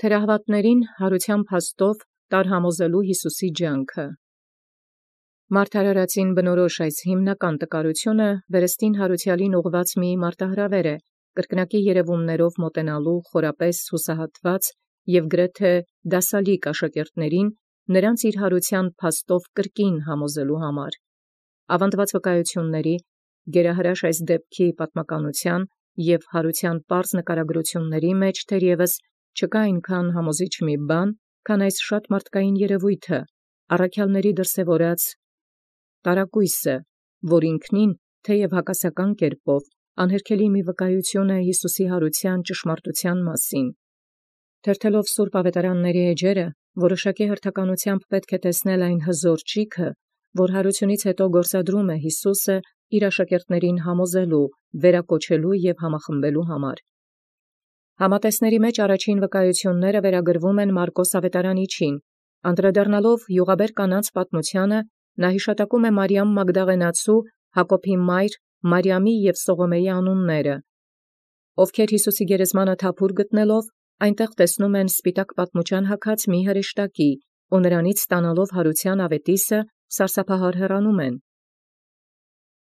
Թերահավատացն յարութեան փաստով տարհամոզելու Յիսուսի ջանքը։ Մարդարարացին բնորոշ այս հիմնական տկարութիւնը վերստին յարութեալին ուղղված մի մարտահրավեր է, կրկնակի երևումներով մոտենալու խորապես հուսահատված և գրեթե դասալիկ աշակերտներին նրանց իր յարութեան փաստով կրկին համոզելու համար։ Ավանդված վկայությունների, գերահրաշ այս դեպքի պատմականութեան և յարութեան պարզ նկարագրութիւնների մեջ թերևս չկա այնքան համոզիչ մի բան, քան այս շատ մարդկային երևոյթը, առաքեալների դրսևորած տարակոյսը, որ ինքնին թեև հակասական կերպով անհերքելի մի վկայություն է Յիսուսի յարութեան ճշմարտութեան մասին։ Թերթելով սուրբ ավետարանացն էջերը, որոշակի հերթականութեամբ պետք է տեսնել այն հզոր ճիգը, որ յարութիւնից յետո գործադրում է Յիսուսը իր աշակերտացն համոզելու, վերակոչելու և համախմբելու համար։ Համատեսացն մեջ առաջին վկայությունները վերագրվում են Մարկոս ավետարանիչին, անդրադառնալով յուղաբեր կանանց պատմութեանը, նա յիշատակում է Մարիամ Մագդաղենացու, Հակոբի մայր Մարիամի և Սողոմէի անունները, ովքեր Յիսուսի գերեզմանը թափուր գտնելով, այնտեղ տեսնում են սպիտակ պատմուճան հագած մի հրեշտակի, ու նրանից ստանալով յարութեան աւետիսը, սարսափահար հեռանում են։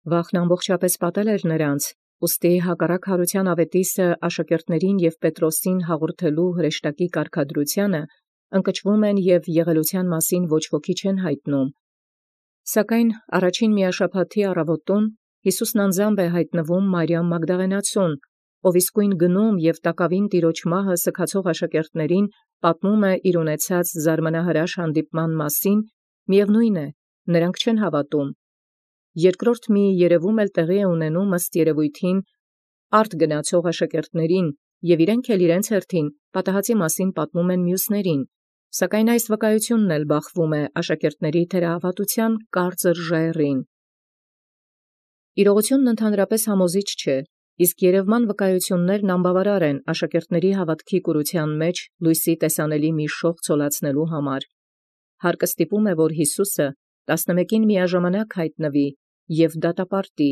Վախճան ամբողջապէս պատել էր նրանց, ուստի հակառակ յարութեան աւետիսը աշակերտացն և Պետրոսին հաղորդելու հրեշտակի կարգադրութեանը, ընկճվում են և եղելութեան մասին ոչ ոքի չեն յայտնում։ Սակայն առաջին միաշաբաթի առավոտուն Յիսուսն անձամբ է յայտնվում Մարիամ Մագդաղենացուն, ով իսկույն գնում և տակաւին Տեառն մահը սգացող աշակերտացն պատմում է իր ունեցած զարմանահրաշ հանդիպման մասին, միևնույն է, նրանք չեն հավատում։ Երկրորդ մի երևում էլ տեղի է ունենում ըստ երևոյթին արդ գնացող աշակերտացն, և իրենք էլ իրենց հերթին պատահածի մասին պատմում են մյուսներին, սակայն այս վկայությունն էլ բախվում է աշակերտացն թերահավատութեան կարծր ժայռին։ Իրողությունն ընդհանրապես համոզիչ չէ, իսկ երևման վկայություններն անբավարար են աշակերտացն հաւատքի կուրութեան մեջ լույսի տեսանելի մի շող ցոլացնելու համար։ Հարկը ստիպում է, որ Յիսուսը 11 միաժամանակ յայտնվի և դատապարտի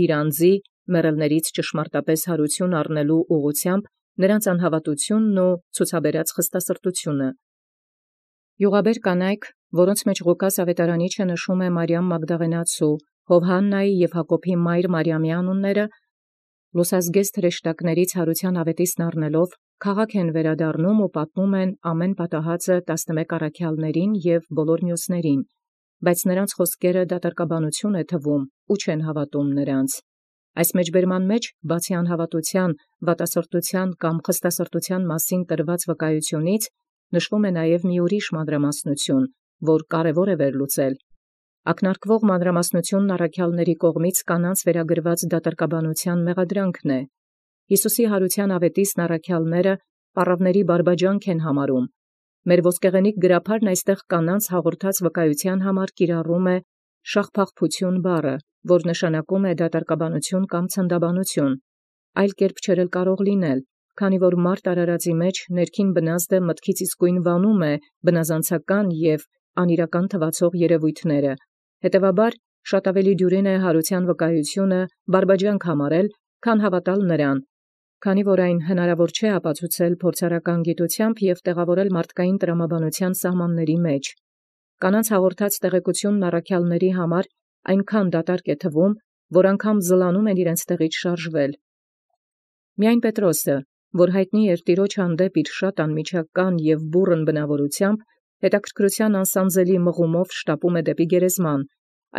իր անձի մեռելներից ճշմարտապես յարութիւն առնելու ուղղութեամբ նրանց անհավատութիւնն ու ցուցաբերած խստասրտութիւնը։ Յուղաբեր կանայք, որոնց մեջ Ղուկաս ավետարանիչը նշում է Մարիամ Մագդաղենացու, Յովհաննայի և Հակոբի մայր Մարիամի անունները, լուսազգեստ հրեշտակաց յարութեան աւետիսն առնելով, քաղաք են վերադառնում ու պատմում են ամեն պատահածը 11 առաքեալսն և բոլոր մյուսներին, բայց նրանց խոսքերը դատարկաբանություն է թվում ու չեն հավատում նրանց։ Այս մեջբերման մեջ, բացի անհավատութեան, վատասրտութեան կամ խստասրտութեան մասին տրված վկայությունից, նշվում է նաև մի ուրիշ մանրամասնություն, որ կարևոր է վերլուծել։ Ակնարկվող մանրամասնությունն առաքեալսն կողմից կանանց վերագրված դատարկաբանութեան մեղադրանքն է։ Յիսուսի յարութեան աւետիսն առաքեալսն պառաւների բարբաջանք են համարում։ Մեր ոսկեղենիկ գրաբարն այստեղ կանանց հաղորդած վկայութեան համար կիրառում է շաղփաղփութիւն բառը, որ նշանակում է դատարկաբանություն կամ ցնդաբանություն, այլ կերպ չէր էլ կարող լինել, քանի որ մարդ արարածի մեջ ներքին բնազդը մտքից իսկույն վանում է բնազանցական և անիրական թվացող երևոյթները, հետևաբար շատ ավելի դյուրին է յարութեան վկայութիւնը բարբաջանք համարել, քան հավատալ նրան, քանի որ այն հնարավոր չէ ապացուցել փորձարական գիտութեամբ և տեղավորել մարդկային տրամաբանութեան սահմանացն մեջ։ Կանանց հաղորդած տեղեկությունն առաքեալսն համար այնքան դատարկ է թվում, որ անգամ զլանում են իրենց տեղից շարժվել։ Միայն Պետրոսը, որ յայտնի էր Տեառն հանդեպ իր շատ անմիջական և բուռն բնաւորութեամբ, հետաքրքրութեան անսանձելի մղումով շտապում է դեպի գերեզման,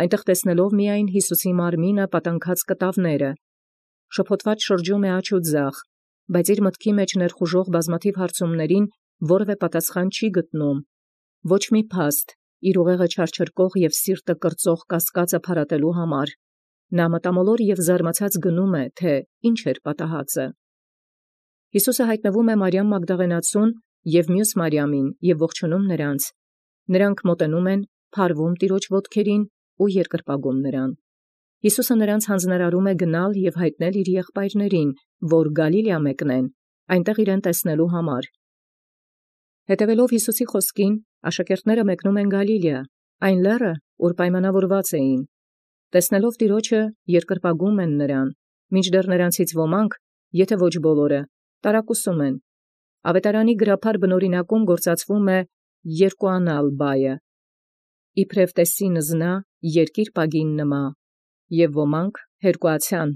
այնտեղ տեսնելով միայն Յիսուսի մարմինը պատանքած կտավները, շփոթված շրջում է աջ և ձախ, բայց իր մտքի մեջ ներխուժող բազմաթիվ հարցումներին որևէ պատասխան չի գտնում, ոչ մի փաստ իր ուղեղը չարչրկող և սիրտը կրծող կասկածը փարատելու համար։ Նա մտամոլոր և զարմացած գնում է, թե ինչ էր պատահածը։ Յիսուսը յայտնվում է Մարիամ Մագդաղենացուն և մյուս Մարիամին և ողջունում նրանց։ Նրանք մոտենում են, փարվում Տեառն ոտքերին ու երկրպագում նրան։ Յիսուսը նրանց յանձնարարում է գնալ և յայտնել իր եղբայրներին, որ Գալիլեա մեկնեն, այնտեղ իրեն տեսնելու համար։ Հետևելով Յիսուսի խոսքին, աշակերտները մեկնում են Գալիլեա, այն լեռը, ուր պայմանավորված էին։ Տեսնելով Տեառն, երկրպագում են նրան, մինչդեռ նրանցից ոմանք, եթե ոչ բոլորը, տարակուսում են։ Ավետարանի գրաբար բնօրինակում գործածվում է երկուանալ բայը, իբրև տեսին զնա երկիր պագին նմա, և ոմանք հերկուացան։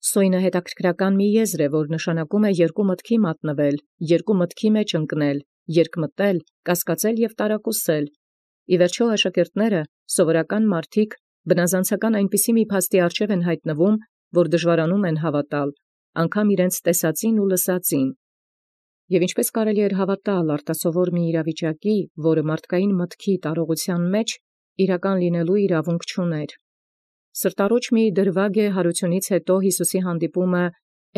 Սոյնը հետաքրքրական մի եզր է, որ նշանակում է երկու մտքի մատնվել, երկու մտքի մեջ ընկնել, երկմտել, կասկածել և տարակուսել։ Ի վերջո աշակերտները, սովորական մարդիկ, բնազանցական այնպիսի մի փաստի առջև են հայտնվում, որ դժվարանում են հավատալ, անգամ իրենց տեսածին ու լսածին։ Եվ ինչպես կարելի էր հավատալ արտասովոր մի իրավիճակի, որը մարդկային մտքի տարողության մեջ իրական լինելու իրավունք չուներ։ Սրտառուչ մի դրվագ է հարությունից հետո Յիսուսի հանդիպումը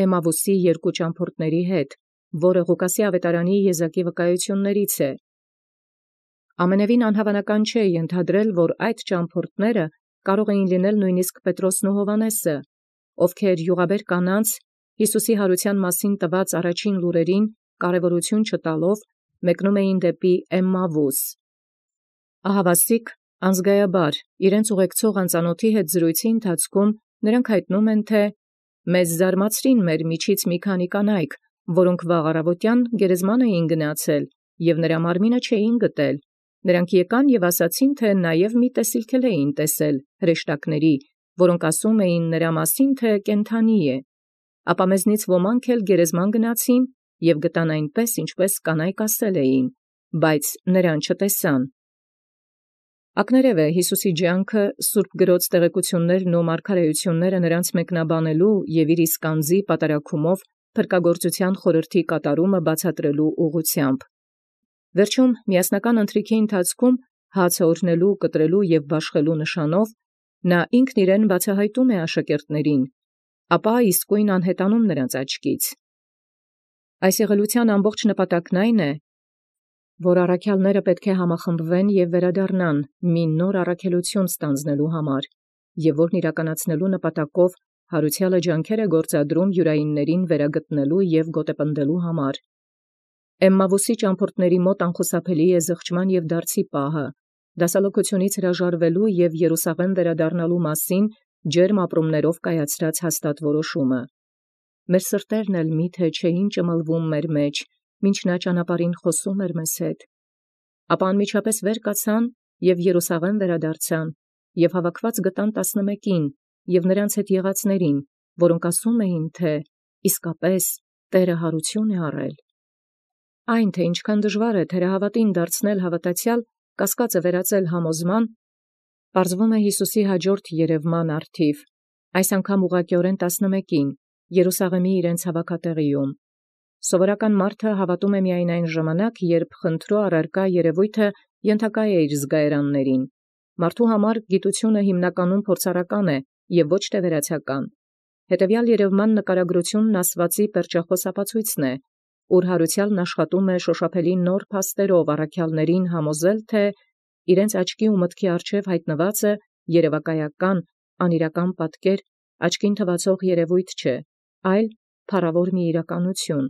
Էմավուսի երկու ճամփորդների հետ, որը Ղուկասի ավետարանի եզակի վկայություններից է։ Ամենևին անհավանական չէ ենթադրել, որ այդ ճամփորդները կարող էին լինել նույնիսկ Պետրոսն ու Հովհաննեսը, ովքեր յուղաբեր կանանց Յիսուսի հարության մասին տված առաջին լուրերին կարևորություն չտալով մեկնում էին դեպի Էմմավուս։ Ահավասիկ անզգայաբար իրենց ուղեկցող անծանոթի հետ զրույցի ընթացքում նրանք հայտնում են, թե «Մեզ զարմացրին մեր միջից մի քանի կանայք, որոնք վաղ առավոտյան գերեզման էին գնացել և նրա մարմինը չէին գտել. նրանք եկան և ասացին, թե նաև մի տեսիլք էլ էին տեսել հրեշտակների, որոնք ասում էին նրա մասին, թե կենդանի է. ապա մեզնից ոմանք էլ գերեզման գնացին և գտան այնպես, ինչպես կանայք ասել էին, բայց նրան չտեսան»։ Ակներև է Յիսուսի ջանքը սուրբ գրոց տեղեկություններն ու մարգարեությունները նրանց մեկնաբանելու և իր իսկ անձի պատարագումով փրկագործության խորհրդի կատարումը բացատրելու ուղղությամբ։ Վերջում միասնական ընթրիքի ընթացքում հացը օրհնելու, կտրելու և բաշխելու նշանով նա ինքն իրեն բացահայտում է աշակերտներին, ապա իսկույն անհետանում նրանց աչքից։ Այս եղելության ամբողջ նպատակն այն է, որ առաքյալները պետք է համախմբվեն և վերադառնան մի նոր առաքելություն ստանձնելու համար, և որն իրականացնելու նպատակով հարուցյալը ջանքեր է գործադրում յուրայիններին վերագտնելու և գոտեպնդելու համար։ Էմմավուսի ճամփորդների մոտ անխուսափելի է զղջման և դարձի պահը, դասալոգությունից հրաժարվելու և Երուսաղեմ վերադառնալու մասին ջերմ ապրումներով կայացրած հաստատ որոշումը։ Մեր սրտերն էլ միթե չէին ճմլվում մեր մեջ, մինչ նա ճանապարհին խոսում էր մեզ հետ։ Ապա անմիջապես վեր կացան և Երուսաղեմ վերադարձան, և հավաքված գտան 11-ին և նրանց հետ եղածներին, որոնք ասում էին, թե իսկապես Տէրը հարություն է առել։ Այն, թե ինչքան դժվար է թերահավատին դարձնել հավատացյալ, կասկածը վերածել համոզման, պարզվում է Յիսուսի հաջորդ երևման առթիվ, այս անգամ ուղղակիորեն 11-ին, Երուսաղեմի իրենց հավաքատեղիում։ Սովորական մարդը հավատում է միայն այն ժամանակ, երբ խնդրու առարկա երևույթը ենթակա է իր զգայարաններին։ Մարդու համար գիտությունը հիմնականում փորձառական է և ոչ թե վերացական։ Հետևյալ երևման նկարագրությունն ասվածի պերճախոս ապացույցն է, ուր հարուցյալն աշխատում է շոշափելի նոր փաստերով առաքյալներին համոզել, թե իրենց աչքի ու մտքի առջև հայտնվածը երևակայական, անիրական պատկեր, աչքին թվացող երևույթ չէ, այլ փառավոր մի իրականություն։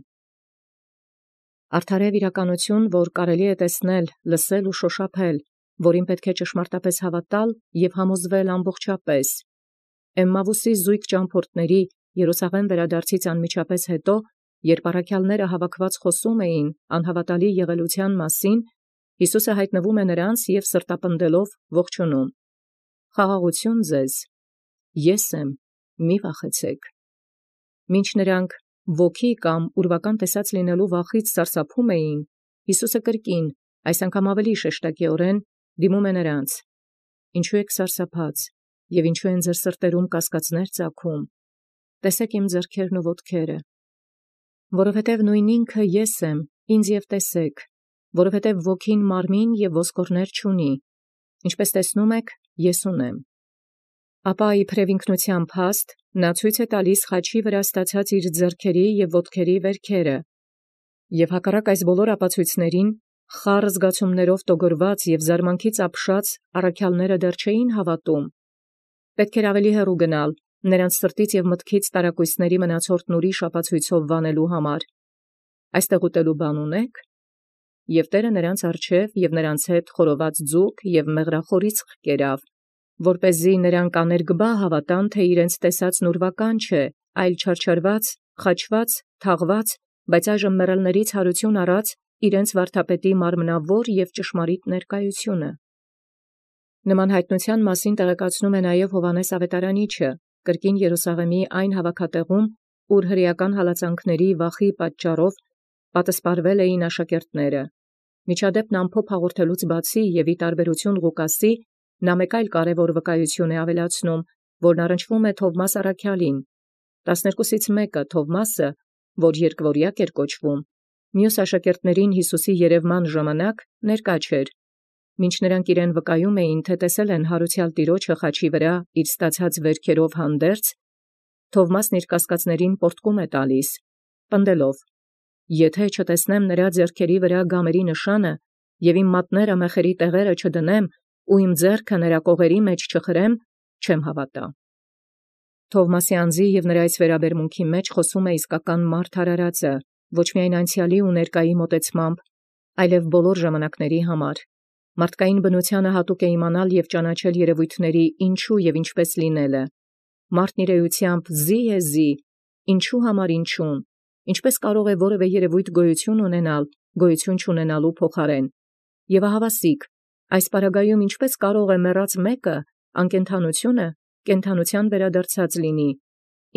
Արդարև իրականություն, որ կարելի է տեսնել, լսել ու շոշափել, որին պետք է ճշմարտապես հավատալ և համոզվել ամբողջապես։ Էմմավուսի զույգ ճամփորդների Երուսաղեմ վերադարձից անմիջապես հետո, երբ առաքյալները հավաքված խոսում էին անհավատալի եղելության մասին, Յիսուսը հայտնվում է նրանց և սրտապնդելով ողջունում. «Խաղաղություն ձեզ, ես եմ, մի վախեցեք»։ Մինչ նրանք ոգի կամ ուրվական տեսած լինելու վախից սարսափում էին, Յիսուսը կրկին, այս անգամ ավելի շեշտակիորեն դիմում է նրանց. «Ինչու եք սարսափած, և ինչու են ձեր սրտերում կասկածներ ծագում. տեսեք իմ ձեռքերն ու ոտքերը, որովհետև նույն ինքը ես եմ, ինձ և տեսեք, որովհետև ոգին մարմին և ոսկորներ չունի, ինչպես տեսնում եք, ես ունեմ»։ Ապա իբրև ինքնության փաստ նա ցույց է տալիս խաչի վրա ստացած իր ձեռքերի և ոտքերի վերքերը, և հակառակ այս բոլոր ապացույցներին, խառը զգացումներով տոգորված և զարմանքից ապշած առաքյալները դեռ չէին հավատում։ Պետք էր ավելի հեռու գնալ, նրանց սրտից և մտքից տարակույսների մնացորդն ուրիշ ապացույցով վանելու համար։ «Այստեղ ուտելու բան ունե՞ք»։ Եւ Տէրը նրանց առջև և նրանց հետ խորոված ձուկ և մեղրախորիցք կերավ, որպեսզի նրանք աներկբա հավատան, թե իրենց տեսածն ուրվական չէ, այլ չարչարված, խաչված, թաղված բայց այժմ մեռելներից հարություն առած իրենց վարդապետի մարմնավոր և ճշմարիտ ներկայությունը։ Նման հայտնության մասին տեղեկացնում է նաև Հովհաննես Ավետարանիչը, կրկին Երուսաղեմի այն հավաքատեղում, ուր հրեական հալածանքների վախի պատճառով պատսպարվել էին աշակերտները։ Միջադեպն ամփոփ հաղորդելուց բացի և ի տարբերություն Ղուկասի, նա մեկ այլ կարևոր վկայություն է ավելացնում, որն առնչվում է Թովմաս առաքյալին։ 12-ից մեկը Թովմասը, որ երկվորյակ էր կոչվում, մյուս աշակերտներին Հիսուսի երևման ժամանակ ներկա չէր, մինչ նրանք իրեն վկայում էին, թե տեսել են յարուցյալ Տիրոջը խաչի վրա իր ստացած վերքերով հանդերձ, Թովմասն իր կասկածներին պոռթկում է տալիս, պնդելով. «Եթե չտեսնեմ նրա ձեռքերի վրա գամերի նշանը, և իմ մատները մեխերի տեղերը չդնեմ, ու իմ ձեռքը նրա կողերի մեջ չխրեմ, չեմ հավատա»։ Թովմասի անձի և նրա այս վերաբերմունքի մեջ խոսում է իսկական մարդ արարածը, ոչ միայն անցյալի ու ներկայի մոտեցմամբ, այլև բոլոր ժամանակների համար։ Մարդկային բնությանը հատուկ է իմանալ և ճանաչել երևույթների ինչու և ինչպես լինելը։ Մարդն իր էությամբ զի է զի, ինչու համար ինչուն, ինչպես կարող է որևէ երևույթ գոյություն ունենալ գոյություն չունենալու փոխարեն։ Եվ ահավասիկ, այս պարագայում ինչպես կարող է մեռած մեկը անկենդանությունը կենդանության վերադարձած լինի,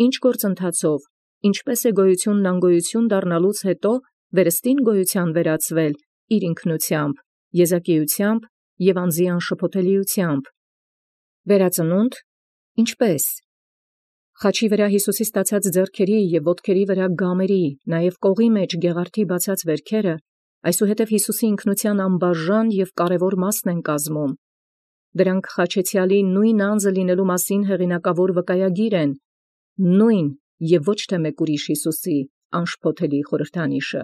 ինչ գործընթացով, ինչպես է գոյությունն անգոյություն դառնալուց հետո վերստին գոյության վերածվել իր ինքնությամբ, եզակիությամբ և անձի անշփոթելիությամբ։ Վերածնունդ ինչպես։ Խաչի վրա Հիսուսի ստացած ձեռքերի և ոտքերի վրա գամերի, նաև կողի մեջ գեղարդի բացած վերքերը, այսուհետև Հիսուսի ինքնության անբաժան և կարևոր մասն են կազմում։ Դրանք խաչեցյալի նույն անձը լինելու մասին հեղինակավոր վկայագիր են, նույն և ոչ թե մեկ ուրիշ Հիսուսի անշփոթելի խորհրդանիշը։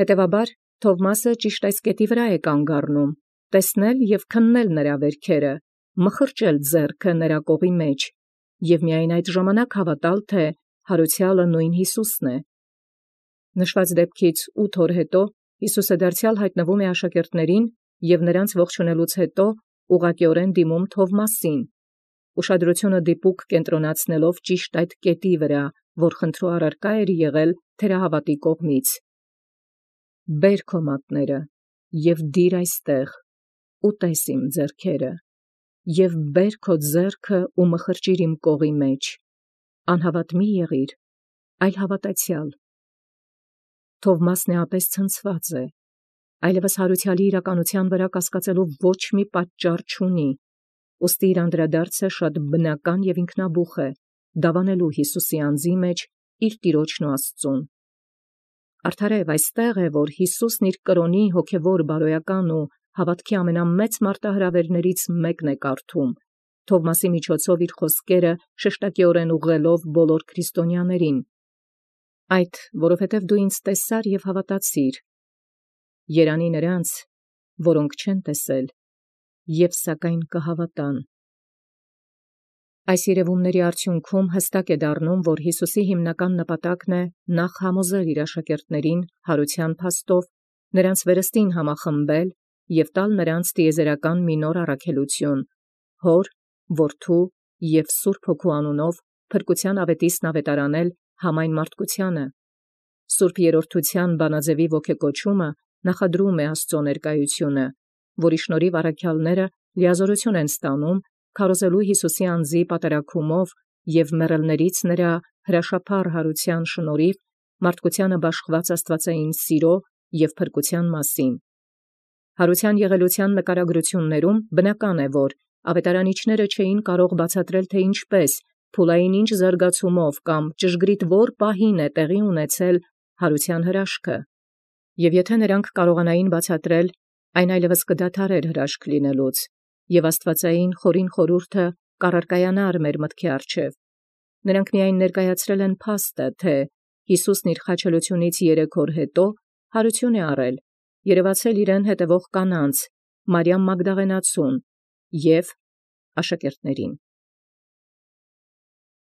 Հետևաբար Թովմասը ճիշտ այս կետի վրա է կանգ առնում, տեսնել և քննել նրա վերքերը, մխրճել ձեռքը նրա կողի մեջ և միայն այդ ժամանակ հավատալ, թե յարուցյալը նույն Հիսուսն է։ Նշված դեպքից 8 օր հետո Հիսուսը դարձյալ հայտնվում է աշակերտներին և նրանց ողջունելուց հետո ուղղակիորեն դիմում Թովմասին, ուշադրությունը դիպուկ կենտրոնացնելով ճիշտ այդ կետի վրա, որ խնդրու առարկա էր եղել թերահավատի կողմից. «Բեր քո մատները և դիր այստեղ, ու տես իմ ձեռքերը, և բեր քո ձեռքը ու մխրճիր իմ կողի մեջ, անհավատ մի եղիր, այլ հավատացյալ»։ Թովմասն էապես ցնցված է, այլևս յարուցյալի իրականության վրա կասկածելու ոչ մի պատճառ չունի, ուստի իր անդրադարձը շատ բնական և ինքնաբուխ է, դավանելու Հիսուսի անձի մեջ իր Տիրոջն ու Աստծուն։ Արդարև այստեղ է, որ Հիսուսն իր կրոնի հոգևոր բարոյական ու հավատքի ամենամեծ մարտահրավերներից մեկն է կարդում, Թովմասի միջոցով իր խոսքերը շեշտակիորեն ուղղելով բոլոր քրիստոնյաներին. «Այդ, որովհետև դու ինձ տեսար և հավատացիր. երանի նրանց, որոնք չեն տեսել և սակայն կհավատան»։ Այս երևումների արդյունքում հստակ է դառնում, որ Հիսուսի հիմնական նպատակն է նախ համոզել իր աշակերտներին յարուցյան փաստով, նրանց վերստին համախմբել և տալ նրանց տիեզերական մի նոր առաքելություն, Հոր, Որդու և Սուրբ Հոգու անունով փրկության ավետիսն ավետարանել համայն մարդկությանը։ Սուրբ Երրորդության բանաձևի ոգեկոչումը նախադրում է Աստծո ներկայությունը, որի շնորհիվ առաքյալները լիազորություն են ստանում քարոզելու Հիսուսի անձի պատրակումով և մեռելներից նրա հրաշափառ յարուցյան շնորհիվ մարդկությանը բաշխված աստվածային սիրո և փրկության մասին։ Յարուցյան եղելության նկարագրություններում բնական է, որ ավետարանիչները չէին կարող բացատրել, թե ինչպես, փուլային ինչ զարգացումով կամ ճշգրիտ որ պահին է տեղի ունեցել յարուցյան հրաշքը։ Եվ եթե նրանք կարողանային բացատրել, այն այլևս կդադարեր հրաշք լինելուց, և աստվածային խորին խորհուրդը կառարկայանար մեր մտքի առջև։ Նրանք միայն ներկայացրել են փաստը, թե Հիսուսն իր խաչելությունից 3 օր հետո յարություն է առել, երևացել իրեն հետևող կանանց, Մարիամ Մագդաղենացուն և աշակերտներին։